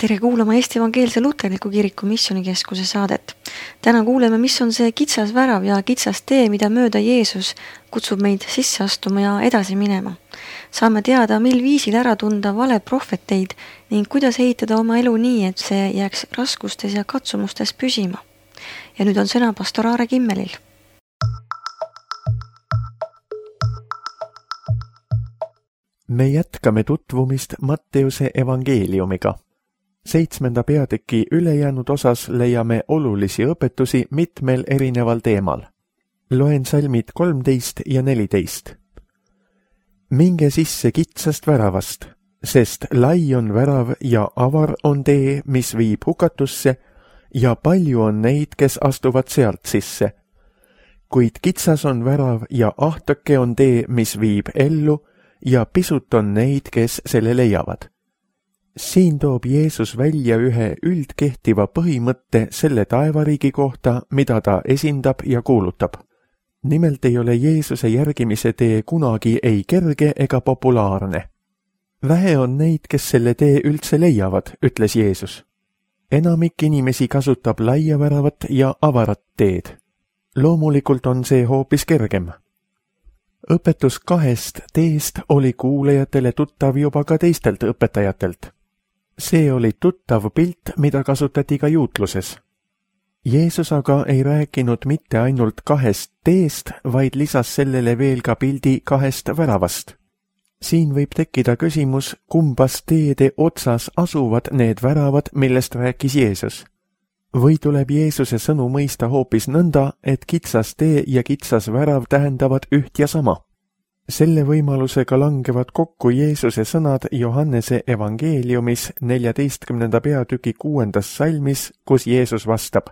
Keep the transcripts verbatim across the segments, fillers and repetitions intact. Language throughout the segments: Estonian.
Tere kuulama Eesti Evangeelse Luterliku Kiriku Missioonikeskuse saadet. Täna kuuleme, mis on see kitsas värav ja kitsas tee, mida mööda Jeesus kutsub meid sisse astuma ja edasi minema. Saame teada, mil viisil ära tunda vale prohveteid ning kuidas ehitada oma elu nii, et see jääks raskustes ja katsumustes püsima. Ja nüüd on sõna pastor Aare Kimmelil. Me jätkame tutvumist Matteuse evangeeliumiga. Seitsmenda peatüki ülejäänud osas leiame olulisi õpetusi mitmel erineval teemal. Loen salmid kolmteist ja neliteist. Minge sisse kitsast väravast, sest lai on värav ja avar on tee, mis viib hukatusse, ja palju on neid, kes astuvad sealt sisse. Kuid kitsas on värav ja ahtake on tee, mis viib ellu, ja pisut on neid, kes selle leiavad. Siin toob Jeesus välja ühe üldkehtiva põhimõtte selle taevariigi kohta, mida ta esindab ja kuulutab. Nimelt ei ole Jeesuse järgimise tee kunagi ei kerge ega populaarne. Vähe on neid, kes selle tee üldse leiavad, ütles Jeesus. Enamik inimesi kasutab laia väravat ja avarat teed. Loomulikult on see hoopis kergem. Õpetus kahest teest oli kuulajatele tuttav juba ka teistelt õpetajatelt. See oli tuttav pilt, mida kasutati ka juutluses. Jeesus aga ei rääkinud mitte ainult kahest teest, vaid lisas sellele veel ka pildi kahest väravast. Siin võib tekkida küsimus, kumbas teede otsas asuvad need väravad, millest rääkis Jeesus. Või tuleb Jeesuse sõnu mõista hoopis nõnda, et kitsas tee ja kitsas värav tähendavad üht ja sama. Selle võimalusega langevad kokku Jeesuse sõnad Johannese evangeeliumis neljateistkümnenda peatüki kuuendas salmis, kus Jeesus vastab: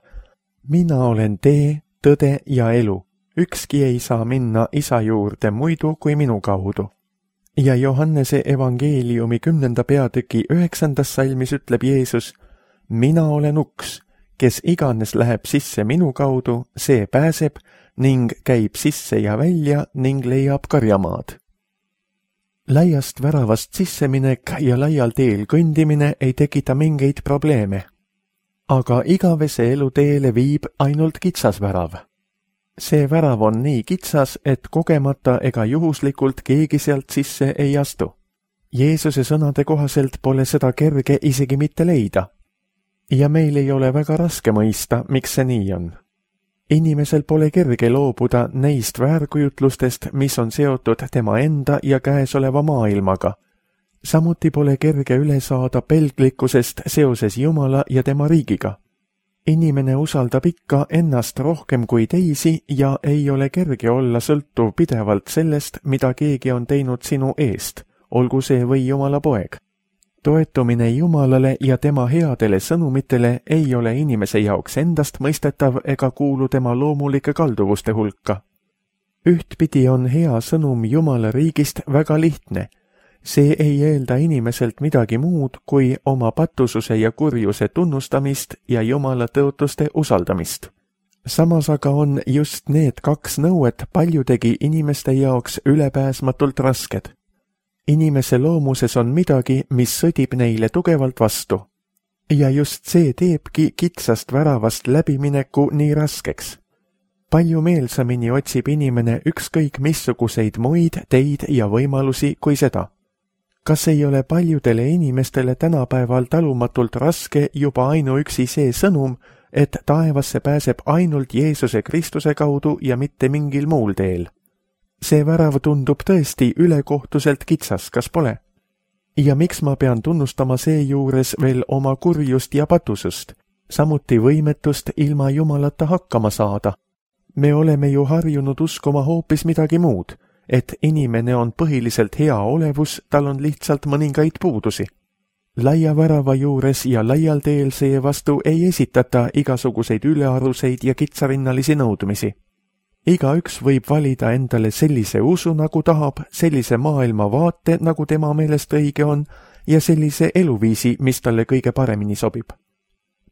Mina olen tee, tõde ja elu. Ükski ei saa minna isa juurde muidu kui minu kaudu. Ja Johannese evangeeliumi kümnenda peatüki üheksandas salmis ütleb Jeesus: Mina olen uks. Kes iganes läheb sisse minu kaudu, see pääseb ning käib sisse ja välja ning leiab karjamaad. Laiast väravast sisseminek ja laial teel kõndimine ei tekita mingeid probleeme. Aga igavese elu teele viib ainult kitsas värav. See värav on nii kitsas, et kogemata ega juhuslikult keegi sealt sisse ei astu. Jeesuse sõnade kohaselt pole seda kerge isegi mitte leida. Ja meil ei ole väga raske mõista, miks see nii on. Inimesel pole kerge loobuda neist väärkujutlustest, mis on seotud tema enda ja käesoleva maailmaga. Samuti pole kerge üle saada pelglikkusest seoses Jumala ja tema riigiga. Inimene usaldab ikka ennast rohkem kui teisi ja ei ole kerge olla sõltuv pidevalt sellest, mida keegi on teinud sinu eest, olgu see või Jumala poeg. Toetumine Jumalale ja tema headele sõnumitele ei ole inimese jaoks endast mõistetav ega kuulu tema loomulike kalduvuste hulka. Ühtpidi on hea sõnum Jumala riigist väga lihtne. See ei eelda inimeselt midagi muud kui oma patususe ja kurjuse tunnustamist ja Jumala tõotuste usaldamist. Samas aga on just need kaks nõuet paljudegi inimeste jaoks ülepääsmatult rasked. Inimese loomuses on midagi, mis sõdib neile tugevalt vastu. Ja just see teebki kitsast väravast läbimineku nii raskeks. Palju meelsamini otsib inimene ükskõik missuguseid muid teid ja võimalusi kui seda. Kas ei ole paljudele inimestele tänapäeval talumatult raske juba ainuüksi see sõnum, et taevasse pääseb ainult Jeesuse Kristuse kaudu ja mitte mingil muul teel? See värav tundub tõesti ülekohtuselt kitsas, kas pole? Ja miks ma pean tunnustama seejuures veel oma kurjust ja patusust, samuti võimetust ilma Jumalata hakkama saada? Me oleme ju harjunud uskuma hoopis midagi muud, et inimene on põhiliselt hea olevus, tal on lihtsalt mõningaid puudusi. Laia värava juures ja laial teel seevastu ei esitata igasuguseid ülearuseid ja kitsarinnalisi nõudmisi. Igaüks võib valida endale sellise usu, nagu tahab, sellise maailmavaate, nagu tema meelest õige on, ja sellise eluviisi, mis talle kõige paremini sobib.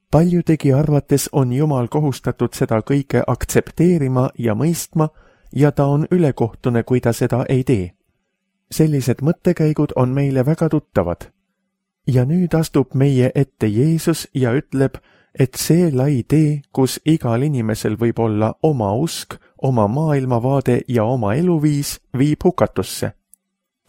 Paljudegi arvates on Jumal kohustatud seda kõike aktsepteerima ja mõistma, ja ta on ülekohtune, kui ta seda ei tee. Sellised mõttekäigud on meile väga tuttavad. ja nüüd astub meie ette Jeesus ja ütleb, et see lai tee, kus igal inimesel võib olla oma usk, oma maailmavaade ja oma eluviis, viib hukatusse.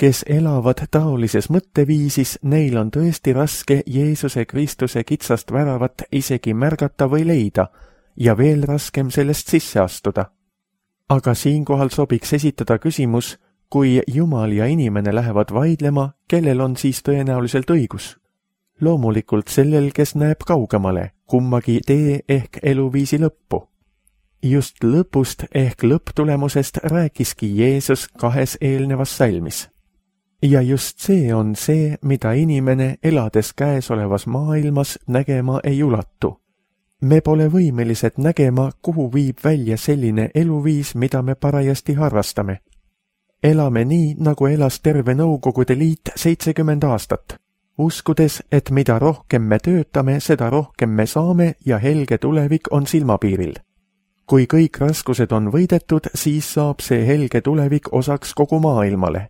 Kes elavad taolises mõtteviisis, neil on tõesti raske Jeesuse Kristuse kitsast väravat isegi märgata või leida ja veel raskem sellest sisse astuda. Aga siinkohal sobiks esitada küsimus, kui Jumal ja inimene lähevad vaidlema, kellel on siis tõenäoliselt õigus? Loomulikult sellel, kes näeb kaugemale, kummagi tee ehk eluviisi lõppu. Just lõpust ehk lõpptulemusest rääkiski Jeesus kahes eelnevas salmis. Ja just see on see, mida inimene elades käesolevas maailmas nägema ei ulatu. Me pole võimelised nägema, kuhu viib välja selline eluviis, mida me parajasti harrastame. Elame nii, nagu elas terve Nõukogude Liit seitsekümmend aastat, uskudes, et mida rohkem me töötame, seda rohkem me saame ja helge tulevik on silmapiiril. Kui kõik raskused on võidetud, siis saab see helge tulevik osaks kogu maailmale.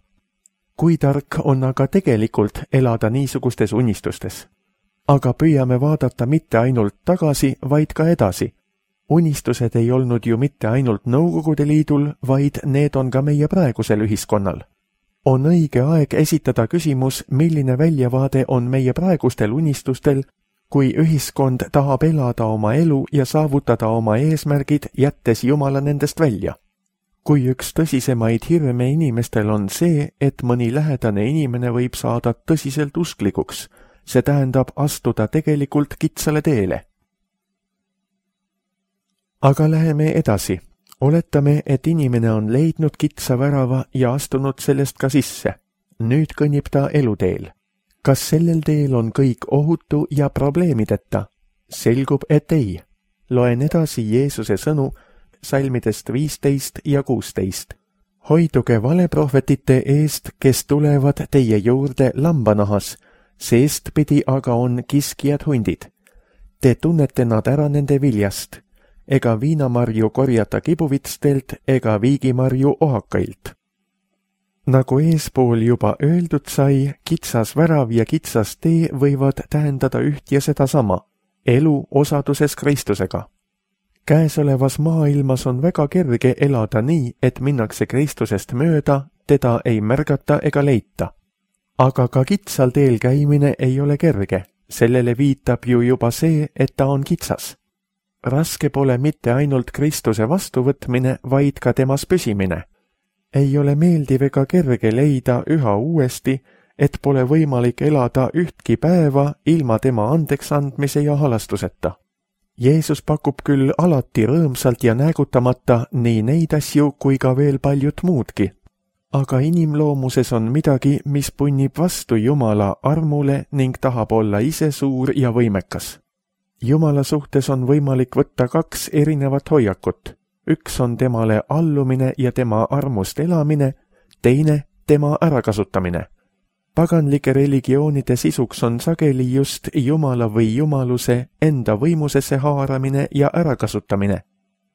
Kui tark on aga tegelikult elada niisugustes unistustes? Aga püüame vaadata mitte ainult tagasi, vaid ka edasi. Unistused ei olnud ju mitte ainult Nõukogude Liidul, vaid need on ka meie praegusel ühiskonnal. On õige aeg esitada küsimus, milline väljavaade on meie praegustel unistustel, kui ühiskond tahab elada oma elu ja saavutada oma eesmärgid, jättes Jumala nendest välja. Kui üks tõsisemaid hirme inimestel on see, et mõni lähedane inimene võib saada tõsiselt usklikuks, see tähendab astuda tegelikult kitsale teele. Aga läheme edasi. Oletame, et inimene on leidnud kitsa värava ja astunud sellest ka sisse. Nüüd kõnnib ta eluteel. Kas sellel teel on kõik ohutu ja probleemideta? Selgub, et ei. Loen edasi Jeesuse sõnu salmidest viisteist ja kuusteist. Hoiduge valeprohvetite eest, kes tulevad teie juurde lambanahas, seestpidi aga on kiskjad hundid. Te tunnete nad ära nende viljast. Ega viinamarju korjata kibuvitstelt ega viigimarju ohakailt. Nagu eespool juba öeldud sai, kitsas värav ja kitsas tee võivad tähendada üht ja seda sama, elu osaduses Kristusega. Käesolevas maailmas on väga kerge elada nii, et minnakse Kristusest mööda, teda ei märgata ega leita. Aga ka kitsal teel käimine ei ole kerge, sellele viitab ju juba see, et ta on kitsas. Raske pole mitte ainult Kristuse vastuvõtmine, vaid ka temas püsimine. Ei ole meeldiv ega kerge leida üha uuesti, et pole võimalik elada ühtki päeva ilma tema andeks andmise ja halastuseta. Jeesus pakub küll alati rõõmsalt ja näägutamata nii neid asju kui ka veel paljut muudki. Aga inimloomuses on midagi, mis punnib vastu Jumala armule ning tahab olla ise suur ja võimekas. Jumala suhtes on võimalik võtta kaks erinevat hoiakut. Üks on temale allumine ja tema armust elamine, teine tema ärakasutamine. Paganlike religioonide sisuks on sageli just Jumala või jumaluse enda võimusesse haaramine ja ärakasutamine.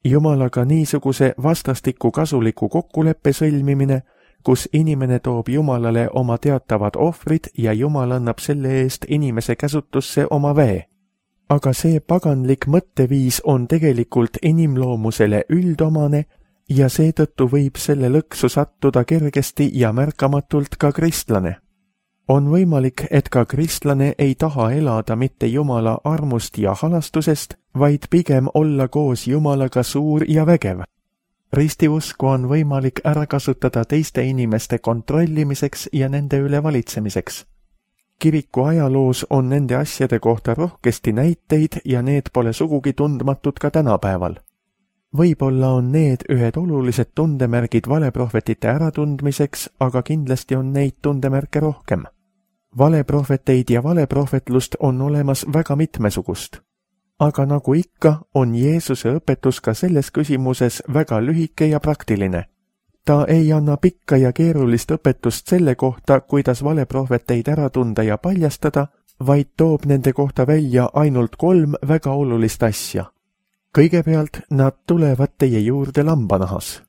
Jumalaga niisuguse vastastikku kasuliku kokkuleppe sõlmimine, kus inimene toob Jumalale oma teatavad ohvrid ja Jumal annab selle eest inimese käsutusse oma väe. Aga see paganlik mõtteviis on tegelikult inimloomusele üldomane ja seetõttu võib selle lõksu sattuda kergesti ja märkamatult ka kristlane. On võimalik, et ka kristlane ei taha elada mitte Jumala armust ja halastusest, vaid pigem olla koos Jumalaga suur ja vägev. Ristiusku on võimalik ära kasutada teiste inimeste kontrollimiseks ja nende üle valitsemiseks. Kiriku ajaloos on nende asjade kohta rohkesti näiteid ja need pole sugugi tundmatud ka tänapäeval. Võib-olla on need ühed olulised tundemärgid valeprohvetite äratundmiseks, aga kindlasti on neid tundemärke rohkem. Valeprohveteid ja valeprohvetlust on olemas väga mitmesugust. Aga nagu ikka, on Jeesuse õpetus ka selles küsimuses väga lühike ja praktiline. Ta ei anna pikka ja keerulist õpetust selle kohta, kuidas valeprohveteid ära tunda ja paljastada, vaid toob nende kohta välja ainult kolm väga olulist asja. Kõigepealt nad tulevad teie juurde lambanahas.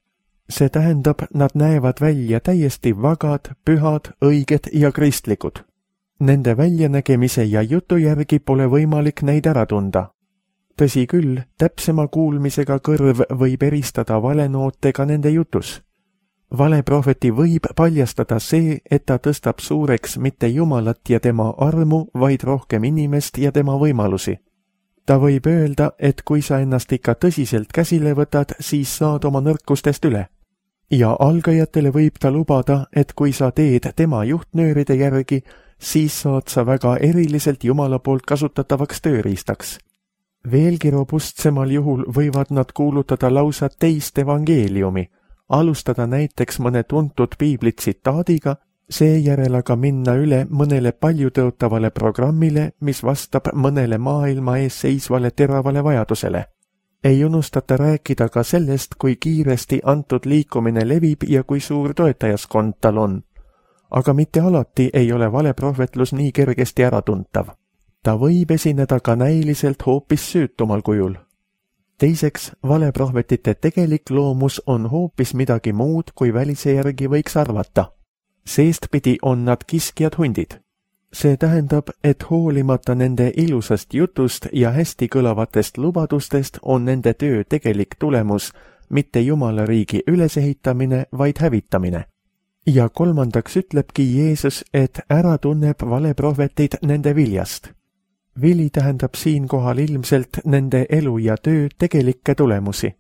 See tähendab, nad näevad välja täiesti vagad, pühad, õiged ja kristlikud. Nende väljanägemise ja jutu järgi pole võimalik neid ära tunda. Tõsi küll, täpsema kuulmisega kõrv võib eristada valenootega nende jutus. Valeprohveti võib paljastada see, et ta tõstab suureks mitte Jumalat ja tema armu, vaid rohkem inimest ja tema võimalusi. Ta võib öelda, et kui sa ennast ikka tõsiselt käsile võtad, siis saad oma nõrkustest üle. Ja algajatele võib ta lubada, et kui sa teed tema juhtnööride järgi, siis saad sa väga eriliselt Jumala poolt kasutatavaks tööriistaks. Veelgi robustsemal juhul võivad nad kuulutada lausa teist evangeeliumi, alustada näiteks mõne tuntud piibli tsitaadiga, seejärel aga minna üle mõnele paljutõotavale programmile, mis vastab mõnele maailma ees seisvale teravale vajadusele. Ei unustata rääkida ka sellest, kui kiiresti antud liikumine levib ja kui suur toetajaskond tal on. Aga mitte alati ei ole valeprohvetlus nii kergesti äratuntav. Ta võib esineda ka näiliselt hoopis süütumal kujul. Teiseks, valeprohvetite tegelik loomus on hoopis midagi muud, kui välise järgi võiks arvata. Seestpidi on nad kiskjad hundid. See tähendab, et hoolimata nende ilusast jutust ja hästi kõlavatest lubadustest on nende töö tegelik tulemus mitte Jumala riigi ülesehitamine, vaid hävitamine. Ja kolmandaks ütlebki Jeesus, et ära tunneb valeprohvetid nende viljast. Vili tähendab siinkohal ilmselt nende elu ja töö tegelikke tulemusi.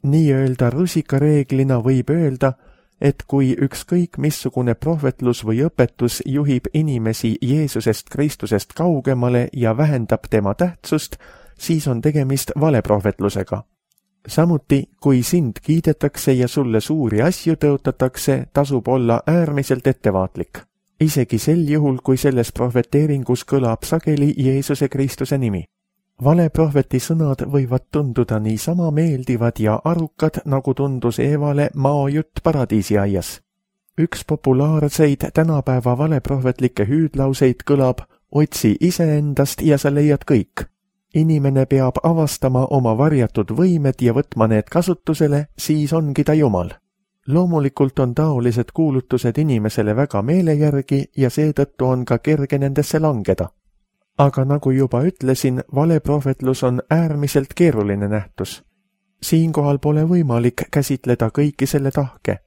Nii-öelda rusikareeglina võib öelda, et kui ükskõik missugune prohvetlus või õpetus juhib inimesi Jeesusest Kristusest kaugemale ja vähendab tema tähtsust, siis on tegemist valeprohvetlusega. Samuti, kui sind kiidetakse ja sulle suuri asju tõotatakse, tasub olla äärmiselt ettevaatlik. Isegi sel juhul, kui selles prohveteeringus kõlab sageli Jeesuse Kristuse nimi. Valeprohveti sõnad võivad tunduda niisama meeldivad ja arukad, nagu tundus Eevale maojutt paradiisiaias. Üks populaarseid tänapäeva valeprohvetlikke hüüdlauseid kõlab: otsi iseendast ja sa leiad kõik. Inimene peab avastama oma varjatud võimed ja võtma need kasutusele, siis ongi ta Jumal. Loomulikult on taolised kuulutused inimesele väga meele järgi ja seetõttu on ka kerge nendesse langeda. Aga nagu juba ütlesin, valeprohvetlus on äärmiselt keeruline nähtus. Siinkohal pole võimalik käsitleda kõiki selle tahke.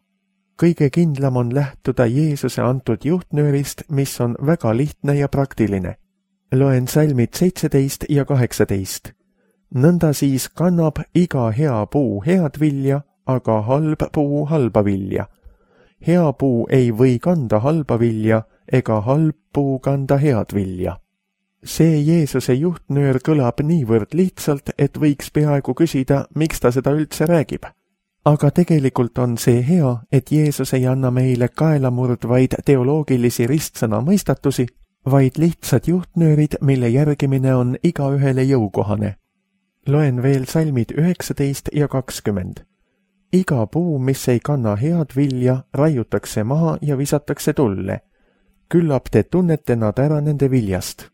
Kõige kindlam on lähtuda Jeesuse antud juhtnöörist, mis on väga lihtne ja praktiline. Loen salmid seitseteist ja kaheksateist. Nõnda siis kannab iga hea puu head vilja, aga halb puu halba vilja. Hea puu ei või kanda halba vilja, ega halb puu kanda head vilja. See Jeesuse juhtnöör kõlab niivõrd lihtsalt, et võiks peaaegu küsida, miks ta seda üldse räägib. Aga tegelikult on see hea, et Jeesus ei anna meile kaelamurdvaid teoloogilisi ristsõna mõistatusi, vaid lihtsad juhtnöörid, mille järgimine on igaühele jõukohane. Loen veel salmid üheksateist ja kakskümmend. Iga puu, mis ei kanna head vilja, raiutakse maha ja visatakse tulle. Küllap te tunnete nad ära nende viljast.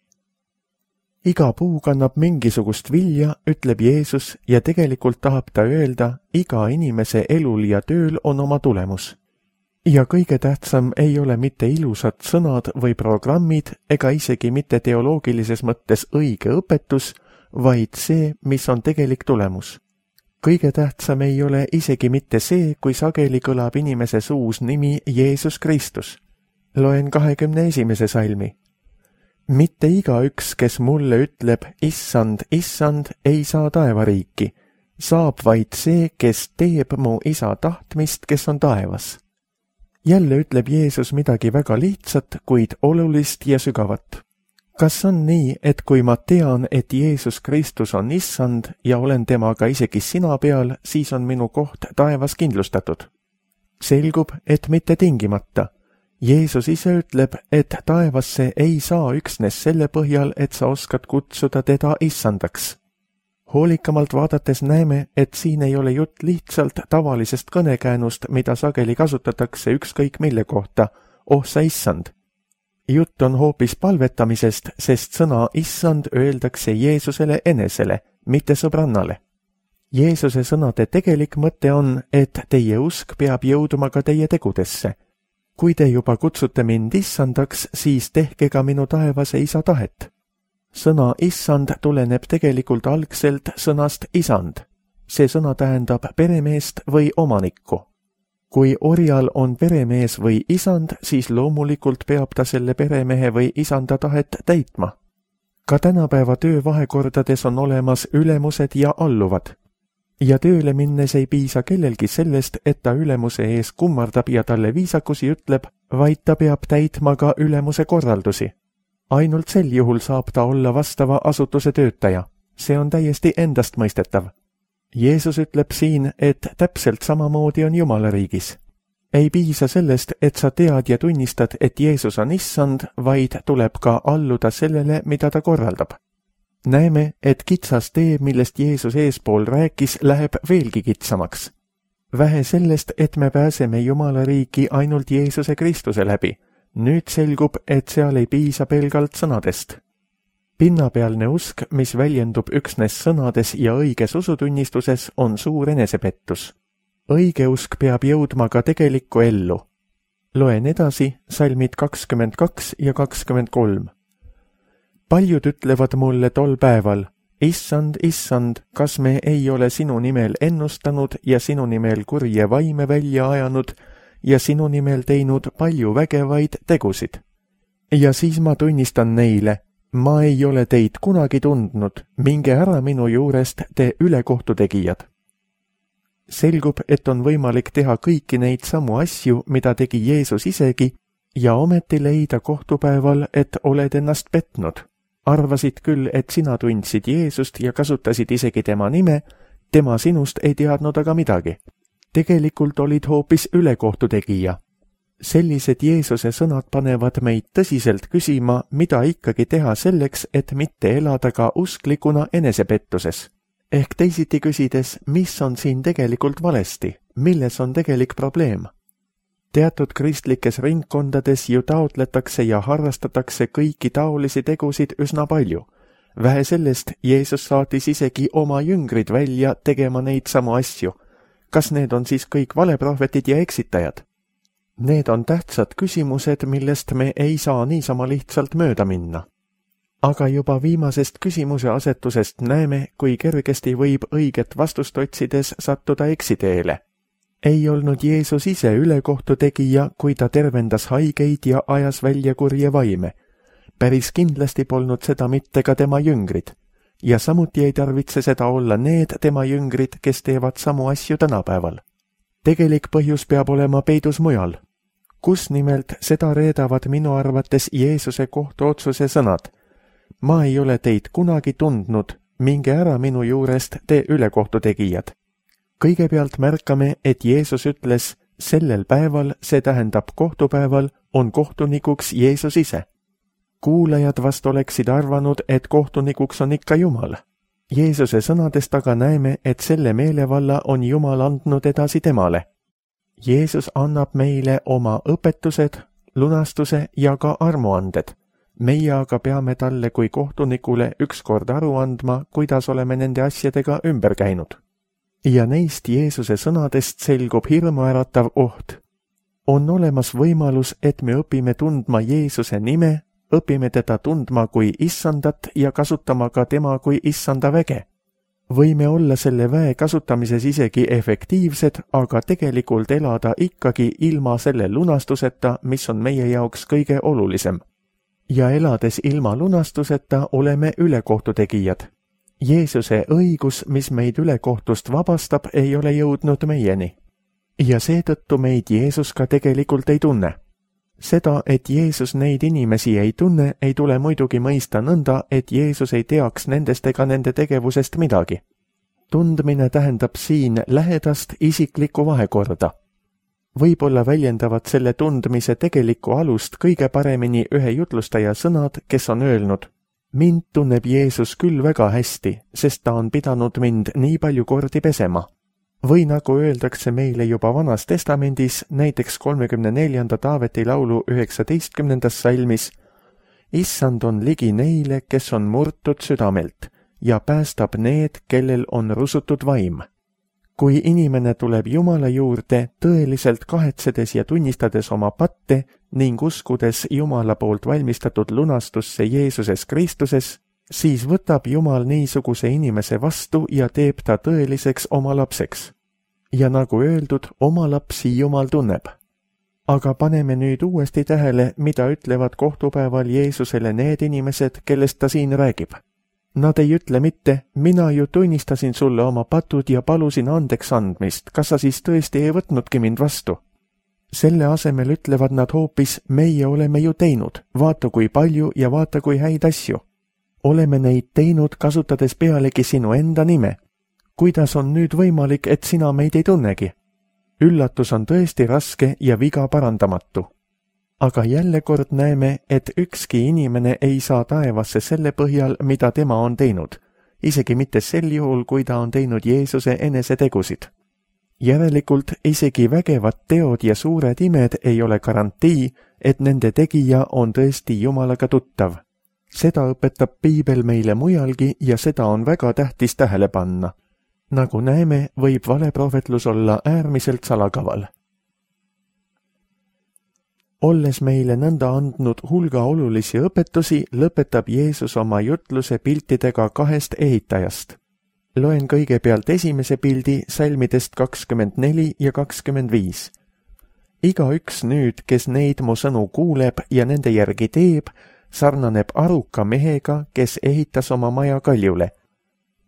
Iga puu kannab mingisugust vilja, ütleb Jeesus, ja tegelikult tahab ta öelda, iga inimese elul ja tööl on oma tulemus. Ja kõige tähtsam ei ole mitte ilusad sõnad või programmid ega isegi mitte teoloogilises mõttes õige õpetus, vaid see, mis on tegelik tulemus. Kõige tähtsam ei ole isegi mitte see, kui sageli kõlab inimese suus nimi Jeesus Kristus. Loen kahekümne esimese salmi. Mitte igaüks, kes mulle ütleb, issand, issand, ei saa taevariiki. Saab vaid see, kes teeb mu isa tahtmist, kes on taevas. Jälle ütleb Jeesus midagi väga lihtsat, kuid olulist ja sügavat. Kas on nii, et kui ma tean, et Jeesus Kristus on issand ja olen temaga isegi sina peal, siis on minu koht taevas kindlustatud? Selgub, et mitte tingimata. Jeesus ise ütleb, et taevasse ei saa üksnes selle põhjal, et sa oskad kutsuda teda issandaks. Hoolikamalt vaadates näeme, et siin ei ole jutt lihtsalt tavalisest kõnekäänust, mida sageli kasutatakse ükskõik mille kohta, oh sa issand. Jutt on hoopis palvetamisest, sest sõna issand öeldakse Jeesusele enesele, mitte sõbrannale. Jeesuse sõnade tegelik mõte on, et teie usk peab jõuduma ka teie tegudesse. kui te juba kutsute mind issandaks, siis tehke ka minu taevase isa tahet. Sõna issand tuleneb tegelikult algselt sõnast isand. See sõna tähendab peremeest või omanikku. Kui orjal on peremees või isand, siis loomulikult peab ta selle peremehe või isanda tahet täitma. Ka tänapäeva töövahekordades on olemas ülemused ja alluvad. Ja tööle minnes ei piisa kellelgi sellest, et ta ülemuse ees kummardab ja talle viisakusi ütleb, vaid ta peab täitma ka ülemuse korraldusi. Ainult sel juhul saab ta olla vastava asutuse töötaja. See on täiesti endastmõistetav. Jeesus ütleb siin, et täpselt samamoodi on Jumala riigis. Ei piisa sellest, et sa tead ja tunnistad, et Jeesus on issand, vaid tuleb ka alluda sellele, mida ta korraldab. Näeme, et kitsas tee, millest Jeesus eespool rääkis, läheb veelgi kitsamaks. Vähe sellest, et me pääseme Jumala riiki ainult Jeesuse Kristuse läbi. Nüüd selgub, et seal ei piisa pelgalt sõnadest. Pinnapealne usk, mis väljendub üksnes sõnades ja õiges usutunnistuses, on suur enesepettus. Õige usk peab jõudma ka tegelikku ellu. Loen edasi salmid kakskümmend kaks ja kakskümmend kolm. Paljud ütlevad mulle tol päeval, issand, issand, kas me ei ole sinu nimel ennustanud ja sinu nimel kurje vaime välja ajanud ja sinu nimel teinud palju vägevaid tegusid. Ja siis ma tunnistan neile, ma ei ole teid kunagi tundnud, minge ära minu juurest, te ülekohtutegijad. Selgub, et on võimalik teha kõiki neid samu asju, mida tegi Jeesus isegi, ja ometi leida kohtupäeval, et oled ennast petnud. Arvasid küll, et sina tundsid Jeesust ja kasutasid isegi tema nime, tema sinust ei teadnud aga midagi. Tegelikult olid hoopis ülekohtutegija. Sellised Jeesuse sõnad panevad meid tõsiselt küsima, mida ikkagi teha selleks, et mitte elada ka usklikuna enesepettuses. Ehk teisiti küsides, mis on siin tegelikult valesti, milles on tegelik probleem? Teatud kristlikes ringkondades ju taotletakse ja harrastatakse kõiki taolisi tegusid üsna palju. Vähe sellest, Jeesus saatis isegi oma jüngrid välja tegema neid samu asju. Kas need on siis kõik valeprohvetid ja eksitajad? Need on tähtsad küsimused, millest me ei saa niisama lihtsalt mööda minna. Aga juba viimasest küsimuse asetusest näeme, kui kergesti võib õiget vastust otsides sattuda eksiteele. Ei olnud Jeesus ise ülekohtutegija, kui ta tervendas haigeid ja ajas välja kurje vaime. Päris kindlasti polnud seda mitte ka tema jüngrid. Ja samuti ei tarvitse seda olla need tema jüngrid, kes teevad samu asju tänapäeval. Tegelik põhjus peab olema peidus mujal. Kus nimelt seda reedavad minu arvates Jeesuse kohtuotsuse sõnad. Ma ei ole teid kunagi tundnud, minge ära minu juurest, te ülekohtutegijad. Kõigepealt märkame, et Jeesus ütles, sellel päeval, see tähendab kohtupäeval, on kohtunikuks Jeesus ise. Kuulajad vast oleksid arvanud, et kohtunikuks on ikka Jumal. Jeesuse sõnadest aga näeme, et selle meelevalla on Jumal andnud edasi temale. Jeesus annab meile oma õpetused, lunastuse ja ka armuanded. Meie aga peame talle kui kohtunikule ükskord aru andma, kuidas oleme nende asjadega ümber käinud. Ja neist Jeesuse sõnadest selgub hirmuäratav oht. On olemas võimalus, et me õpime tundma Jeesuse nime, õpime teda tundma kui issandat ja kasutama ka tema kui issanda väge. Võime olla selle väe kasutamises isegi efektiivsed, aga tegelikult elada ikkagi ilma selle lunastuseta, mis on meie jaoks kõige olulisem. Ja elades ilma lunastuseta oleme ülekohtutegijad. Jeesuse õigus, mis meid ülekohtust vabastab, ei ole jõudnud meieni. Ja seetõttu meid Jeesus ka tegelikult ei tunne. Seda, et Jeesus neid inimesi ei tunne, ei tule muidugi mõista nõnda, et Jeesus ei teaks nendest ega nende tegevusest midagi. Tundmine tähendab siin lähedast isiklikku vahekorda. Võib-olla väljendavad selle tundmise tegelikku alust kõige paremini ühe jutlustaja sõnad, kes on öelnud, mind tunneb Jeesus küll väga hästi, sest ta on pidanud mind nii palju kordi pesema. Või nagu öeldakse meile juba Vanas Testamendis, näiteks kolmekümne neljanda Taaveti laulu üheksateistkümnendas salmis, issand on ligi neile, kes on murtud südamelt, ja päästab need, kellel on rusutud vaim. kui inimene tuleb Jumala juurde tõeliselt kahetsedes ja tunnistades oma patte ning uskudes Jumala poolt valmistatud lunastusse Jeesuses Kristuses, siis võtab Jumal niisuguse inimese vastu ja teeb ta tõeliseks oma lapseks. Ja nagu öeldud, oma lapsi Jumal tunneb. Aga paneme nüüd uuesti tähele, mida ütlevad kohtupäeval Jeesusele need inimesed, kellest ta siin räägib. Nad ei ütle mitte, mina ju tunnistasin sulle oma patud ja palusin andeks andmist, kas sa siis tõesti ei võtnudki mind vastu? Selle asemel ütlevad nad hoopis, meie oleme ju teinud, vaata kui palju ja vaata kui häid asju. Oleme neid teinud, kasutades pealegi sinu enda nime. Kuidas on nüüd võimalik, et sina meid ei tunnegi? Üllatus on tõesti raske ja viga parandamatu. Aga jälle kord näeme, et ükski inimene ei saa taevasse selle põhjal, mida tema on teinud, isegi mitte sel juhul, kui ta on teinud Jeesuse enese tegusid. Järelikult isegi vägevad teod ja suured imed ei ole garantii, et nende tegija on tõesti Jumalaga tuttav. Seda õpetab Piibel meile mujalgi ja seda on väga tähtis tähele panna. Nagu näeme, võib valeprohvetlus olla äärmiselt salakaval. Olles meile nõnda andnud hulga olulisi õpetusi, lõpetab Jeesus oma jutluse piltidega kahest ehitajast. Loen kõigepealt esimese pildi salmidest kakskümmend neli ja kakskümmend viis. Iga üks nüüd, kes neid mu sõnu kuuleb ja nende järgi teeb, sarnaneb aruka mehega, kes ehitas oma maja kaljule.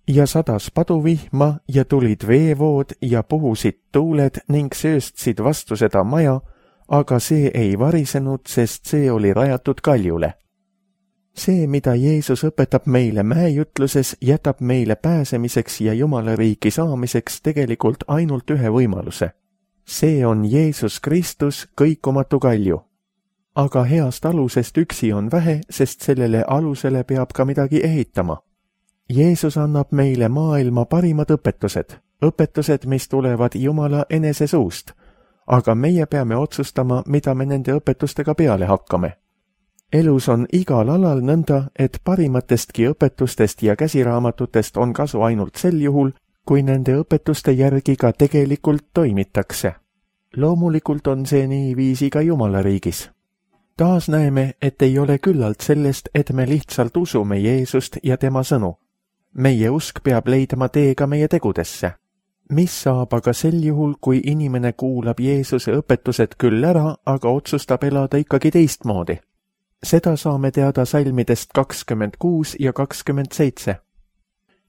Ja sadas paduvihma ja tulid veevood ja puhusid tuuled ning sööstsid vastu seda maja, aga see ei varisenud, sest see oli rajatud kaljule. See, mida Jeesus õpetab meile mäejutluses, jätab meile pääsemiseks ja Jumala riiki saamiseks tegelikult ainult ühe võimaluse. See on Jeesus Kristus, kõikumatu kalju. Aga heast alusest üksi on vähe, sest sellele alusele peab ka midagi ehitama. Jeesus annab meile maailma parimad õpetused, õpetused, mis tulevad Jumala enese suust, aga meie peame otsustama, mida me nende õpetustega peale hakkame. Elus on igal alal nõnda, et parimatestki õpetustest ja käsiraamatutest on kasu ainult sel juhul, kui nende õpetuste järgi ka tegelikult toimitakse. Loomulikult on see niiviisi ka Jumala riigis. Taas näeme, et ei ole küllalt sellest, et me lihtsalt usume Jeesust ja tema sõnu. Meie usk peab leidma tee ka meie tegudesse. Mis saab aga sel juhul, kui inimene kuulab Jeesuse õpetused küll ära, aga otsustab elada ikkagi teistmoodi? Seda saame teada salmidest kakskümmend kuus ja kakskümmend seitse.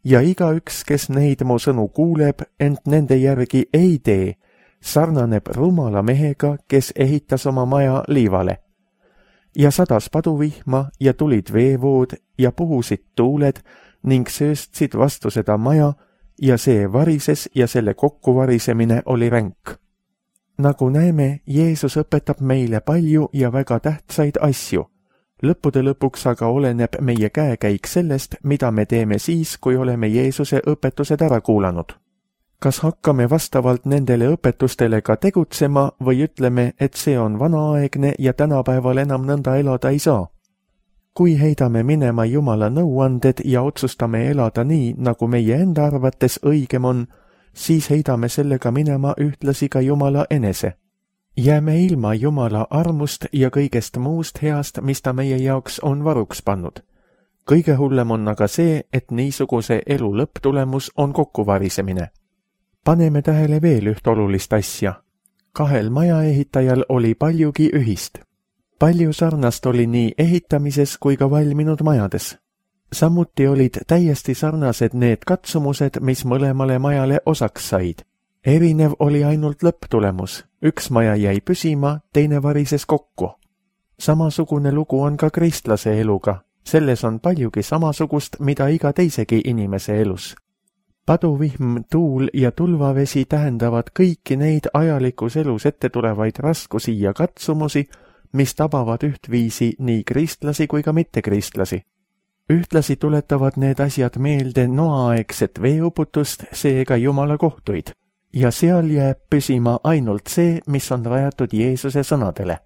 Ja igaüks, kes neid mu sõnu kuuleb, ent nende järgi ei tee, sarnaneb rumala mehega, kes ehitas oma maja liivale. Ja sadas paduvihma ja tulid veevood ja puhusid tuuled ning sööstsid vastu seda maja ja see varises ja selle kokkuvarisemine oli ränk. Nagu näeme, Jeesus õpetab meile palju ja väga tähtsaid asju. Lõppude lõpuks aga oleneb meie käekäik sellest, mida me teeme siis, kui oleme Jeesuse õpetused ära kuulanud. Kas hakkame vastavalt nendele õpetustele ka tegutsema või ütleme, et see on vanaaegne ja tänapäeval enam nõnda elada ei saa? Kui heidame minema Jumala nõuanded ja otsustame elada nii, nagu meie enda arvates õigem on, siis heidame sellega minema ühtlasi ka Jumala enese. Jääme ilma Jumala armust ja kõigest muust heast, mis ta meie jaoks on varuks pannud. Kõige hullem on aga see, et niisuguse elu lõpptulemus on kokkuvarisemine. Paneme tähele veel üht olulist asja. Kahel majaehitajal oli paljugi ühist. Palju sarnast oli nii ehitamises kui ka valminud majades. Samuti olid täiesti sarnased need katsumused, mis mõlemale majale osaks said. Erinev oli ainult lõpptulemus. Üks maja jäi püsima, teine varises kokku. Samasugune lugu on ka kristlase eluga. Selles on paljugi samasugust, mida iga teisegi inimese elus. Paduvihm, tuul ja tulvavesi tähendavad kõiki neid ajalikus elus ette tulevaid raskusi ja katsumusi, mis tabavad ühtviisi nii kristlasi kui ka mittekristlasi. Ühtlasi tuletavad need asjad meelde noaaegset veeuputust, seega Jumala kohtuid, ja seal jääb püsima ainult see, mis on rajatud Jeesuse sõnadele.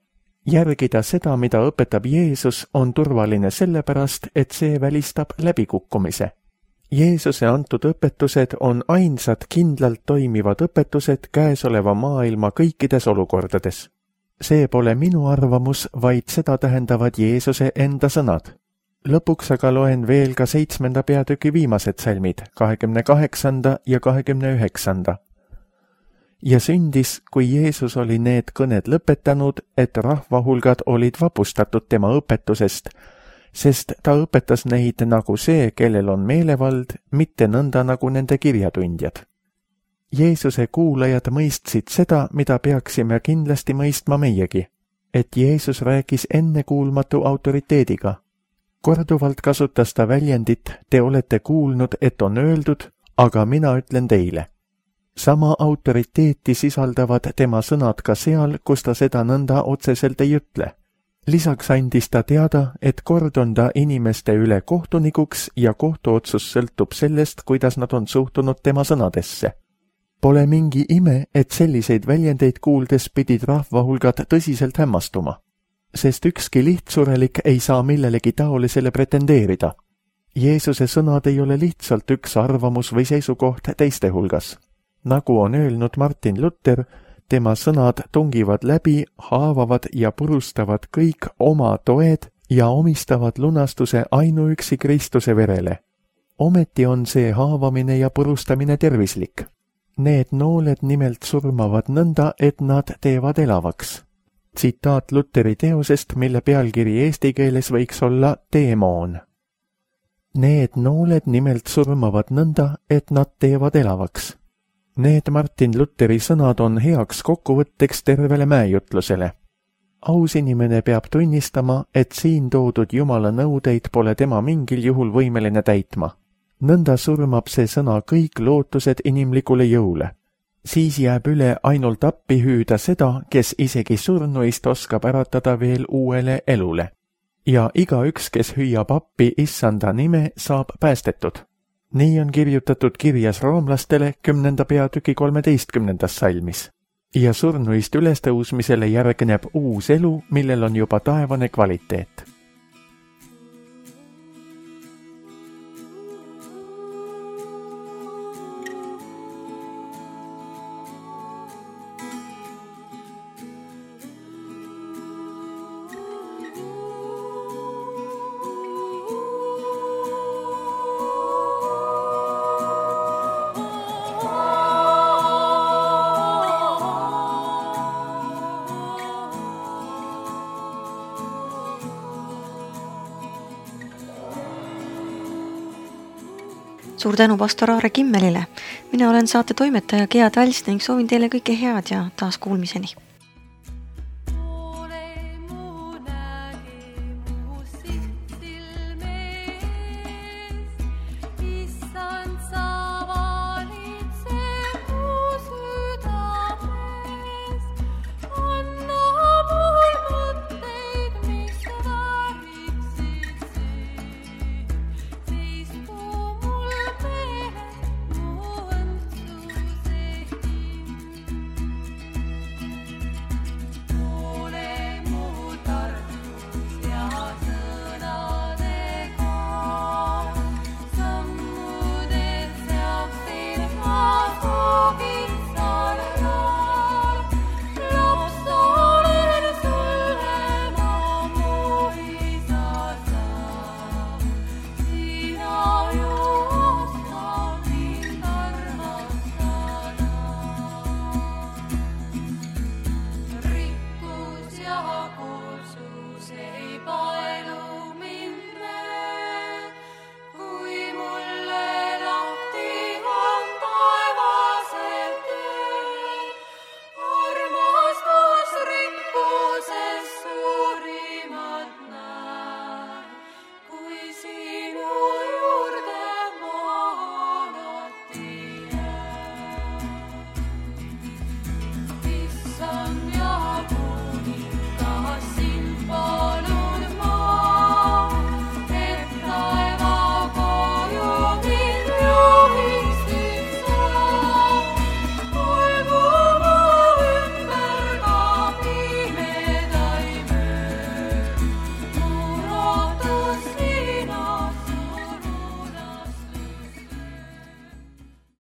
Järgida seda, mida õpetab Jeesus, on turvaline sellepärast, et see välistab läbikukkumise. Jeesuse antud õpetused on ainsad kindlalt toimivad õpetused käesoleva maailma kõikides olukordades. See pole minu arvamus, vaid seda tähendavad Jeesuse enda sõnad. Lõpuks aga loen veel ka seitsmenda peatüki viimased salmid, kahekümne kaheksanda ja kahekümne üheksanda. Ja sündis, kui Jeesus oli need kõned lõpetanud, et rahvahulgad olid vapustatud tema õpetusest, sest ta õpetas neid nagu see, kellel on meelevald, mitte nõnda nagu nende kirjatundjad. Jeesuse kuulajad mõistsid seda, mida peaksime kindlasti mõistma meiegi, et Jeesus rääkis ennekuulmatu autoriteediga. Korduvalt kasutas ta väljendit, te olete kuulnud, et on öeldud, aga mina ütlen teile. Sama autoriteeti sisaldavad tema sõnad ka seal, kus ta seda nõnda otseselt ei ütle. Lisaks andis ta teada, et kord on ta inimeste üle kohtunikuks ja kohtuotsus sõltub sellest, kuidas nad on suhtunud tema sõnadesse. Pole mingi ime, et selliseid väljendeid kuuldes pidid rahvahulgad tõsiselt hämmastuma, sest ükski lihtsurelik ei saa millelegi taolisele pretendeerida. Jeesuse sõnad ei ole lihtsalt üks arvamus või seisukoht teiste hulgas. Nagu on öelnud Martin Luther, tema sõnad tungivad läbi, haavavad ja purustavad kõik oma toed ja omistavad lunastuse ainuüksi Kristuse verele. Ometi on see haavamine ja purustamine tervislik. Need nooled nimelt surmavad nõnda, et nad teevad elavaks. Tsitaat Lutheri teosest, mille pealkiri eesti keeles võiks olla teemoon. Need nooled nimelt surmavad nõnda, et nad teevad elavaks. Need Martin Lutheri sõnad on heaks kokkuvõtteks tervele mäejutlusele. Aus inimene peab tunnistama, et siin toodud Jumala nõudeid pole tema mingil juhul võimeline täitma. Nõnda surmab see sõna kõik lootused inimlikule jõule. Siis jääb üle ainult appi hüüda seda, kes isegi surnuist oskab äratada veel uuele elule. Ja igaüks, kes hüüab appi issanda nime, saab päästetud. Nii on kirjutatud kirjas roomlastele kümnenda peatüki kolmeteistkümnendas salmis. Ja surnuist ülestõusmisele järgneb uus elu, millel on juba taevane kvaliteet. Suur tänu pastor Aare Kimmelile. Mina olen saate toimetaja Gea Tals ning soovin teile kõike head ja taas kuulmiseni.